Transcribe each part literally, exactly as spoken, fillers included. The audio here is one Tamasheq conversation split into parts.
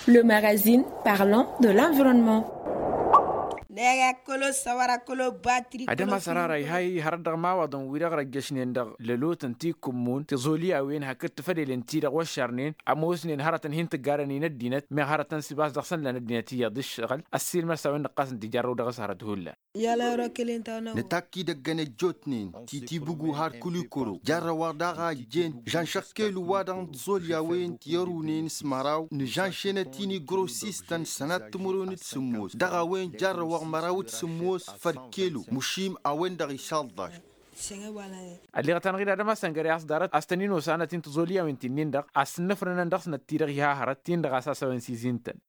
Le magazine parlant de l'environnement. Năɣ-akkălo săwăr-akkălo batri. Ad-ămasărara iha-i hărăt dăɣ-imawaḍăn wi-dăɣ răjjăšnen dăɣ-lălotăn ti kǝmmun tiẓolyawen hakd tafădelen-ti-dăɣ wăššărnen ămoosnen hărătăn hin-tǝggarăn-in ăddinăt meɣ hărătăn s-ibas dăɣ-săn lan ăddinăt iyyăḍ ǝššăɣǝl. Ăssiilmăr s-a-wen nǝqqas n-tijarrăw dăɣ-s hărăt hullan. Nǝtakk idăggăn ăjjootnen ti tibǝgu har kulikuro jarrăw-aɣ daɣ a ăjjeen žanšăɣ kelu-wa-dăɣ n-tiẓolyawen ti ărunen s-măraw nǝžanšenăt-in i-grosistăn sănat timǝrwen d-sǝmmos dăɣ-a-wen jarrăw-aɣ măraw d-sǝmmos făll-kelu. Măšim a-wen-dăɣ išaḍḍaš. Ălleɣăt-anăɣ-dd ad-ămasăn găre a-s ḍarăt a-s tăn-in-osanăt-in tiẓolyawen ti-nin-dăɣ a-s ǝnnăfrănăn dăɣ-snăt-ti-dăɣ iha hărăt-tin-dăɣ a-s asăwăn s-izin-tăn.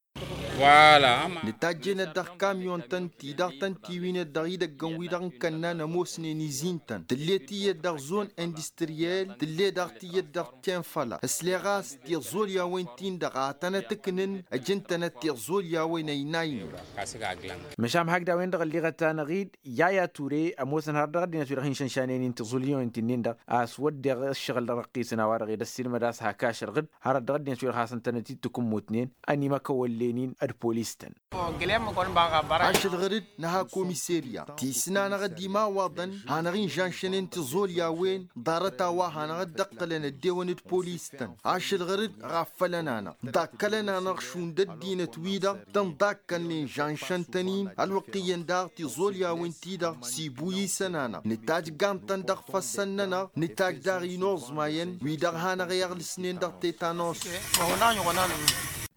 Nǝtajjăynăt dăɣ-kamyon-tăn ti-dăɣ tăn-tiwinăt dăɣ-idăggăn-wi-dăɣ n-kănnan ămoosnen izin-tăn tǝlle tiyyăt dăɣ-zon industriyel tǝlle daɣ tiyyăt dăɣ-tenfăla ăsleɣ a-s tiẓolyawen-tin-dăɣ a tănăt-ǝknǝn. Ăj ǝntănăt tiẓolyawen ăynaynen. Măšan hakd a-wen-dăɣ ălleɣăt-anăɣ-dd yaya ture ămoosăn hărăt dăɣ-ăddinăt wi-dăɣ hin-šănšanen-in tiẓolyawen-ti-nin-dăɣ a-s wădden ǝššăɣǝl dăɣ-răqqisăn a-wa-dăɣ ed ăssiilmăd a-s hak ašăl ɣǝd hărăt dăɣ-ăddinăt wi-dăɣ hasăn-tănăt-dd-tǝkǝmmutnen ănimăkăwăllen-in d-polis-tăn. Ašăl ɣăr-dd nǝha komiserya ti s-nanăɣ-dd imawaḍăn hanăɣ-inžănšănen tiẓolyawen ḍarăt a-wa hanăɣ-dd-ǝqqǝlăn ăddewăn d-polis-tăn. Ašăl ɣăr-dd ɣaffălăn-anăɣ ḍakkălăn-anăɣ šund ăddinăt-wi-dăɣ tăn-ḍakkălnen žănšăn-tăn-in ălwăqq iyyăn daɣ tiẓolyawen-ti-dăɣ s-ibu isăn-anăɣ nǝtajj gantăn dăɣ-ifăssăn-nănăɣ nǝtajj daɣ inuẓmayăn wi-dăɣ hanăɣ-i ăɣlǝsnen dăɣ-tetanus.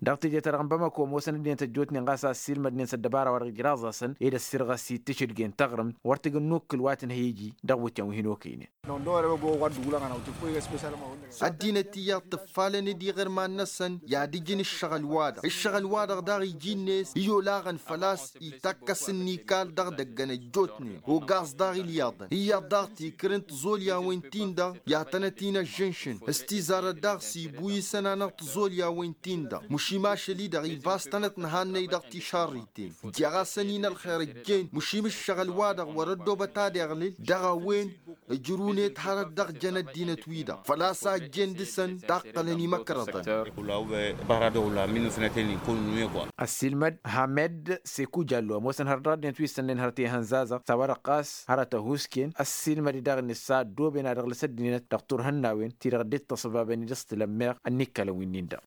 Dăɣ-teje-ta-dăɣ n-bamako ămoosăn ăddinăt ăjjootnen ɣas a ăssiilmădnen s-ăddăbara wa dăɣ-ijraẓ-asăn ed ăssirɣăs-i d-tašǝdge n-taɣrǝmt wăr tǝjǝn n-ukkǝl wa tǝnhăy iji dăɣ-iwǝtyan wi hin-okăynen. Ăddinăt iyyăḍ tǝffalăn-dd iɣărman-năsăn i-ad-ǝjǝn ǝššăɣǝl-wa-dăɣ ǝššăɣǝl-wa-dăɣ daɣ iji-net i-olaɣăn făl-a-s itakkăs ǝnnikal dăɣ-idăggăn ăjjootnen ogaẓ daɣ ilyaḍăn iyyăḍ daɣ tikrǝn tiẓolyawen-tin-dăɣ i-ad-tănăt-in-ăžžǝnšǝn s-tizarăt daɣ s-ibu isăn-anăɣ tiẓolyawen-tin-dăɣ măšim ašăl-i-dăɣ ibas tănăt-nǝhannăy dăɣ-tišarriten. Ǝjjeɣ-asăn-in ălxer ǝjjen măšim ǝššăɣǝl-wa-dăɣ wăr-ăddoobăt ad-iɣlǝl dăɣ-a-wen ǝjrǝwnet hărăt dăɣ-jăn ăddinăt-wi-dăɣ făl-a-s a ǝjjen dăɣ-săn taqqălăn imăkrăḍăn. Ăssiilmăd hamed seku jallo ămoosăn hărăt dăɣ-ăddinăt wi issănnen hărăt i-ihănzazăɣ s-a-wa-dăɣ ɣas hărăt ăhuusken ăssiilmăd-i daɣ-net s-a ăddooben ad-ăɣlǝs ăddinăt dăɣ-turhǝnnawen ti-dăɣ dd-tăṣbabăn-dd s-tǝlăm meɣ ănnikkălăn wi-nin-dăɣ.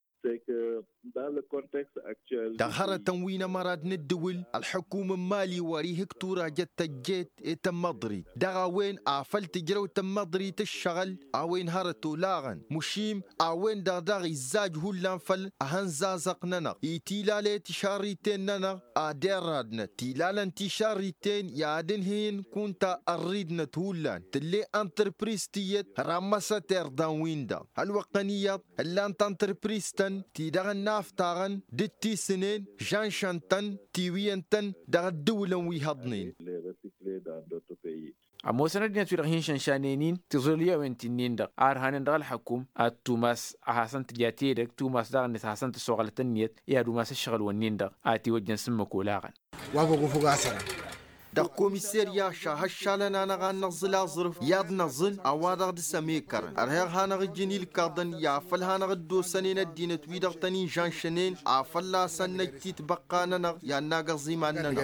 Dăɣ-hărătăn wi n-ămăra d-inǝddǝwǝl ălḥǝkum n-imali wăr-ihǝk turajăt tăjjeet i-tămmăḍrit dăɣ-a-wen afăl tǝjrăw tămmăḍrit ǝššăɣǝl a-wen hărăt olaɣăn măšim a-wen-dăɣ daɣ izzaj hullan făll-ehănzazăɣ-nănăɣ i-tilale tišarriten-nănăɣ ad-irradnăt tilalăn tišarriten i-ad-ǝnhǝyăn kunta ărridnăt hullan tǝlle ăntărpriz tiyyăt rammăsăt irḍan-win-dăɣ ălwăqqăn iyyăḍ ǝllan tantărpriz-tăn ti-dăɣ ănnaftaɣăn d-tisǝnen žănšăn-tăn tiwǝyăn-tăn dăɣ-ǝddǝwǝlăn wi hăḍnen. Ămoosăn ăddinăt wi-dăɣ hin-šănšanen-in tiẓolyawen ti-nin-dăɣ a ărhanen dăɣ-ălḥăkum ad-tumas a hasăn-tǝja tedăgg tumas daɣ-net a hasăn-tǝssoɣălăt ǝnniyăt i-ad-umas ǝššăɣǝl-wǝnnin-dăɣ a ătiwăjjăn s-ǝmmǝk olaɣăn. Dăɣ-komiserya šahăššalăn-anăɣ ad-năẓǝl aẓrǝf i-ad-năẓǝl a-wa-dăɣ dăr-s-ămekărăn ărheɣ hanăɣ-ǝjǝn ilkaḍăn i-afăl hanăɣ-dd-osănen ăddinăt-wi-dăɣ tăn-in-žănšănen afăl-asăn năj titbăqqa-nănăɣ i-ad-naga ăẓiman-nănăɣ.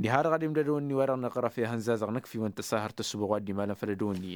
Diha-dăɣ ad-imdădăwăn-ni wa-dăɣ năɣrăf i-ihănzazăɣ năkf'-iwăn tăsahărt ăssubăɣ wa dd-imalăn făll-ădăwăn-ni iyyăn.